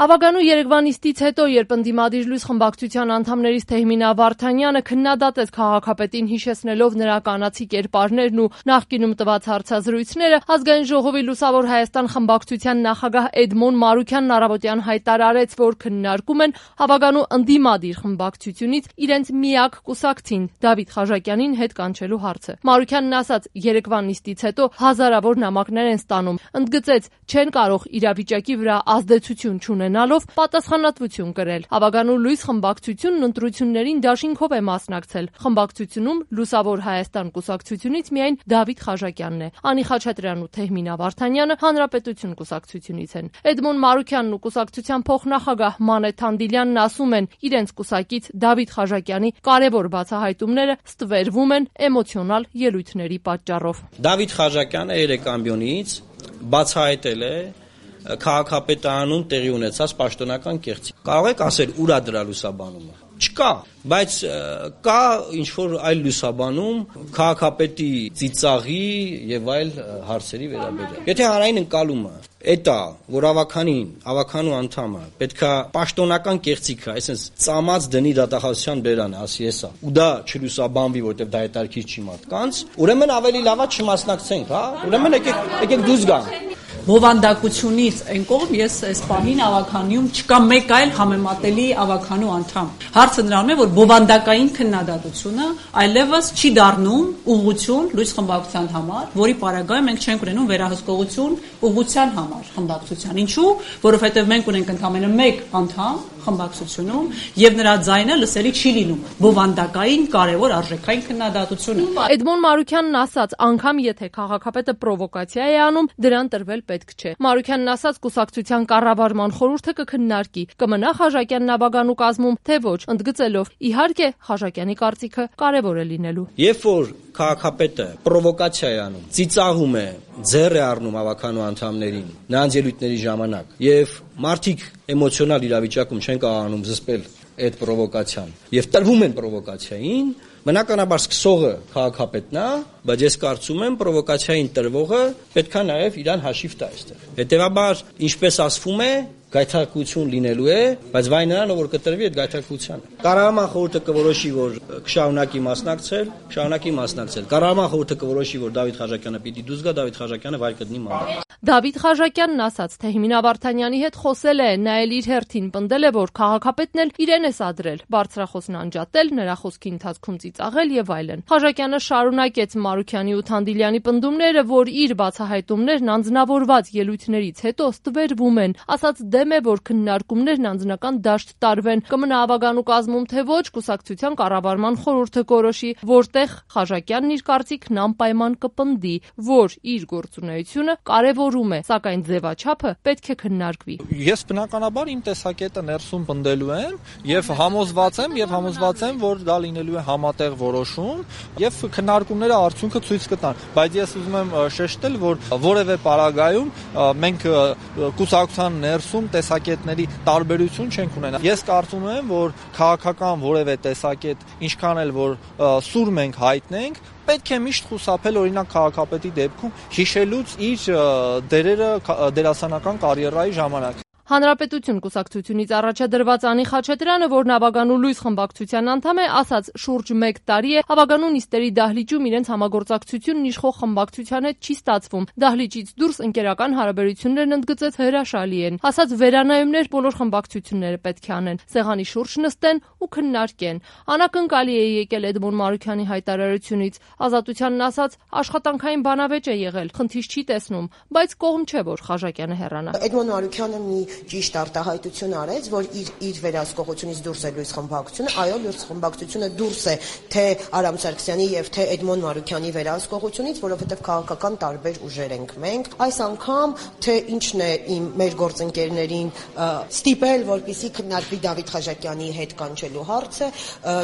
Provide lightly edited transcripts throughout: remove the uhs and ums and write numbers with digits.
Ավագանու երեկվա նիստից հետո, երբ ընդդիմադիր լույս խմբակցության անդամներից Թեհմինա Վարդանյանը քննադատեց քաղաքապետին, հիշեցնելով նրա կանացի կերպարներն ու նախկինում տված հարցազրույցները, Ազգային ժողովի Լուսավոր Հայաստան խմբակցության նախագահ Էդմոն Մարուքյանն առավոտյան հայտարարեց, որ քննարկում են Ավագանու ընդդիմադիր խմբակցությունից իրենց միակ կուսակցին՝ Դավիթ Խաչատյանին հետ կանչելու հարցը։ Մարուքյանն ասաց, երեկվա նիստից հետո հազարավոր նամակներ են ստանում, ընդգծեց, չեն կարող իրավիճակի վրա ազդեցություն չունենալով պատասխանատվություն կրել։ Ավագանու լույս խմբակցությունն ընտրություններին դաշինքով է մասնակցել։ Խմբակցությունում Լուսավոր Հայաստան կուսակցությունից միայն Դավիթ Խաչատյանն է։ Անի Խաչատրյանն ու Թեհմինա Վարդանյանը Հանրապետություն կուսակցությունից են։ Էդմոն Մարուքյանն ու կուսակցության փոխնախագահ Մանե Թանդիլյանն ասում են, իրենց կուսակից Դավիթ Խաչատյանի կարևոր բացահայտումները ստվերվում են էմոցիոնալ ելույթների պատճառով։ Դավիթ Խաչատյանը երեք ամբիոնից բացահայտել է քաղաքապետարանում տեղի ունեցած պաշտոնական կեղծիք։ Կարող եք ասել ուր է դրա լուսաբանումը։ Չկա, բայց կա ինչ-որ այլ լուսաբանում քաղաքապետի ծիծաղի եւ այլ հարցերի վերաբերյալ։ Եթե հանրային ընկալումը էտա, որ ավականու անդամը պետքա պաշտոնական կեղծիքը, այսինքն ծամած դնի դատախազության բերանը, ասի էսա, ու դա չլուսաբանվի, որտեղ դա հետարքից չի մարդկանց, ուրեմն ավելի լավա չմասնակցենք, հա։ Ուրեմն եկեք դուրս գանք։ Բովանդակությունից այն կողմ ես այս պահին ավականիում չկա մեկ այլ համեմատելի ավականու անդամ։ Հարցը նրանում է, որ բովանդակային քննադատությունը այլևս չի դառնում ուղղություն լույս խմբակցության համար, որի պարագայում մենք չենք ունենում վերահսկողություն ուղղության համար խմբակցության։ Ինչու՞, որովհետև մենք ունենք ընդամենը մեկ անդամ խմբակցությունում եւ նրա ձայնը լսելի չի լինում։ Բովանդակային կարևոր արժեքային քննադատությունը։ Էդմոն Մարուքյանն ասաց, անգամ եթե քաղաքապետը պրովոկացիա է անում, դրան տրվել պետք չէ։ Մարուքյանն ասաց, կուսակցության կառավարման խորհուրդը կքննարկի, կմնա Խաչատյանն Ավագանու կազմում, թե ոչ, ընդգծելով, իհարկե, Խաչատյանի կարծիքը կարևոր է լինելու։ Երբ որ քաղաքապետը պրովոկացիա է անում, ծիծաղում է, ձեռ է առնում ավականու անդամներին, նրանց ելույթների ժամանակ, եւ մարդիկ էմոցիոնալ իրավիճակում չեն կարողանում զսպել այդ պրովոկացիան եւ տրվում են պրովոկացիային, բնականաբար սկսողը քաղաքապետն է, բայց ես կարծում եմ պրովոկացիային տրվողը պետքա նաեւ իրան հաշիվ տա այստեղ։ Հետեւաբար, ինչպես ասվում է, գայթակղություն լինելու է, բայց վայ նրան, որ կտրվի այդ գայթակղությանը։ Կառավարման խորհուրդը կորոշի, որ կշարունակի մասնակցել, Կառավարման խորհուրդը կորոշի, որ Դավիթ Խաչատյանը պիտի դուրս գա, Դավիթ Խաչատյանը վայր կդնի մանդատ։ Դավիթ Խաչատյանն ասաց, Թեհմինա Վարդանյանի հետ խոսել է, նա էլ իր հերթին պնդել է, որ քաղաքապետն էլ իրեն է սադրել, բարձրախոսն անջատել, նրա խոսքի ընթացքում ծիծաղել եւ այլն։ Խաչատյանը շարունակեց Մարուքյանի ու Թանդիլյանի պնդումները, որ իր բացահայտումներն անձնավորված ելույթներից հետո ստվերվում են, ասաց դեմ է, որ քննարկումներն անձնական դաշտ տարվեն, կմնա Ավագանու կազմում, թե ոչ, կուսակցության կառավարման խորհուրդը կորոշի, որտեղ Խաչատյանն իր կարծիքն անպայման կպնդի, որ իր գործունեությունը կարևորում է, սակայն ձևաչափը պետք է քննարկվի։ Ես բնականաբար իմ տեսակետը ներսում պնդելու եմ եւ համոզված եմ, որ դա լինելու է համատեղ որոշում եւ քննարկումները արդյունքը ցույց կտան, բայց ես ուզում եմ շեշտել, որ որևէ պարագայում մենք կուսակցության ներսում տեսակետների տարբերություն չենք ունենա։ Ես կարծում եմ, որ քաղաքական որևէ տեսակետ, ինչքան էլ որ սուր մենք հայտնենք, պետք է միշտ խուսափել օրինակ քաղաքապետի դեպքում հիշելուց իր դերերը դերասանական կարիերայի ժամանակ։ Հանրապետություն կուսակցությունից առաջադրված Անի Խաչատրյանը, որն Ավագանու լույս խմբակցության անդամ է, ասաց, շուրջ 1 տարի է Ավագանու նիստերի դահլիճում իրենց համագործակցությունն իշխող խմբակցության հետ չի ստացվում։ Դահլիճից դուրս ընկերական հարաբերություններն ընդգծեց հրաշալի են։ Ասաց, վերանայումներ բոլոր խմբակցությունները պետք է անեն, սեղանի շուրջ նստեն ու քննարկեն։ Անակնկալի է եկել Էդմոն Մարուքյանի հայտարարությունից։ Ազատությանն ասաց, աշխատանքային բանավեճ է եղել, խնդիր չի տեսնում, բայց կողմ չէ, որ Խաչատյանը հեռանա։ Էդմոն Մարուքյանը մի ճիշտ արտահայտություն արեց, որ իր վերահսկողությունից դուրս է լույս խմբակցությունը, այո, լույս խմբակցությունը դուրս է թե Արամ Սարգսյանի եւ թե Էդմոն Մարուքյանի վերահսկողությունից, որովհետեւ քաղաքական տարբեր ուժեր ենք մենք։ Այս անգամ թե ինչն է մեր գործընկերներին ստիպել, որպեսզի քննարկվի Դավիթ Խաչատյանի հետ կանչելու հարցը,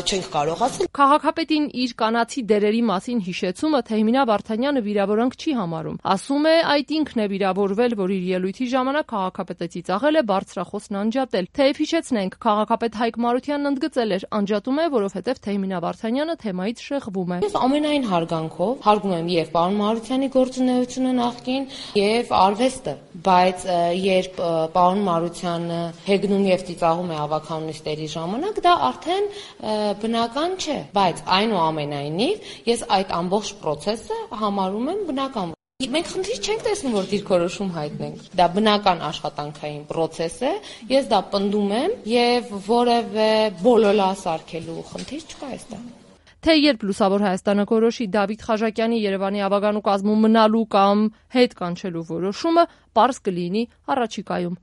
չենք կարող ասել։ Քաղաքապետին իր կանացի դերերի մասին հիշեցումը Թեհմինա Վարդանյանը վիրավորանք չի համարում։ Ասում է, այդ ինքն է վիրավորվել, որ իր ելույթի ժամանակ քաղաքապետը ծիծաղ շահել է բարձրախոսն անջատել։ Թեև հիշեցնենք, քաղաքապետ Հայկ Մարությանն ընդգծել էր, անջատում է, որովհետև Թեհմինա Վարդանյանը թեմայից շեղվում է։ Ես ամենայն հարգանքով հարգում եմ եւ պարոն Մարությանի գործունեությունը նախկին եւ արվեստը, բայց երբ պարոն Մարությանը հեգնում եւ ծիծաղում է ավականունիստերի ժամանակ, դա արդեն բնական չէ, բայց այնուամենայնիվ ես այդ ամբողջ process-ը համարում եմ բնական։ Մենք խնդիր չենք տեսնում, որ դիրքորոշում հայտնենք։ Դա բնական աշխատանքային process է, ես դա պնդում եմ եւ որևէ բոլոլա սարքելու խնդիր չկա այստեղ։ Թե երբ Լուսավոր Հայաստանը կորոշի Դավիթ Խաչատյանի Երևանի ավագանու կազմում մնալու կամ հետ կանչելու որոշումը, պարզ կլինի առաջիկայում։